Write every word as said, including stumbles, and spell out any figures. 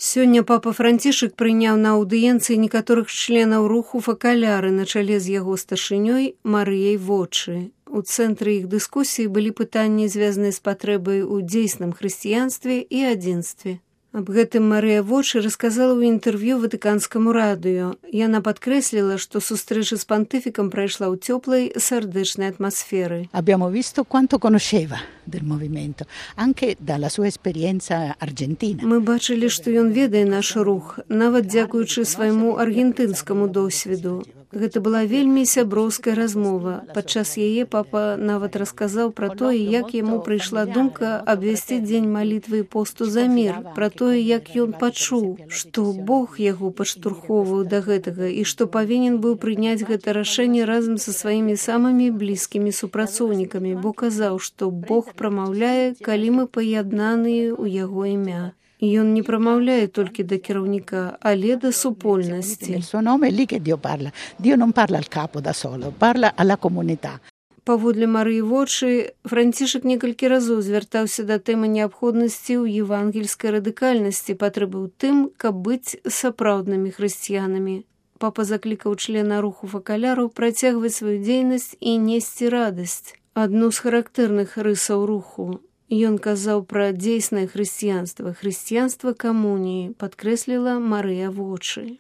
Сёння папа Францішак прыняў на аўдыенцыі некаторых членаў руху факаляры на чале з яго старшынёй Марыяй Вочы. У цэнтры іх дыскусіі былі пытанні, звязаныя з патрэбай у дзейсным хрысціянстве і адзінстве. Аб гэтым Марыя Вочы расказала ў інтэрв'ю ватыканскаму радыё. Яна падкрэсліла, што сустрэча з пантыфікам прайшла ў цёплай сардэчнай атмасферы. Abbiamo visto quanto conosceva del movimento, anche dalla sua esperienza argentina. Мы бачылі, што ён ведае наш рух, нават дзякуючы свайму аргентынскаму досведу. Гэта была вельмі сяброўская размова. Падчас яе папа нават расказаў пра тое, як яму прыйшла думка абвясціць дзень малітвы і посту за мір, пра тое, як ён пачуў, што Бог яго падштурхоўваў да гэтага і што павінен быў прыняць гэта рашэнне разам са сваімі самымі блізкімі супрацоўнікамі, бо казаў, што Бог прамаўляе, калі мы паяднаныя ў яго імя. Ён не прамаўляе толькі да кіраўніка, але да супольнасці. Il suo nome è lì che Dio parla. Dio non parla al capo da solo, parla alla comunità. Паводле Марыі Вочы, Францішак некалькі разоў звяртаўся да тэмы неабходнасці ў евангельскай радыкальнасці, патрэбы ў тым, каб быць сапраўднымі хрысціянамі. Папа заклікаў члена руху факаляру працягваць сваю дзейнасць і несці радасць. Адну з характэрных рысаў руху. Ён казаў пра дзейснае хрысціянства, хрысціянства камуніі, падкрэсліла Марыя Вочы.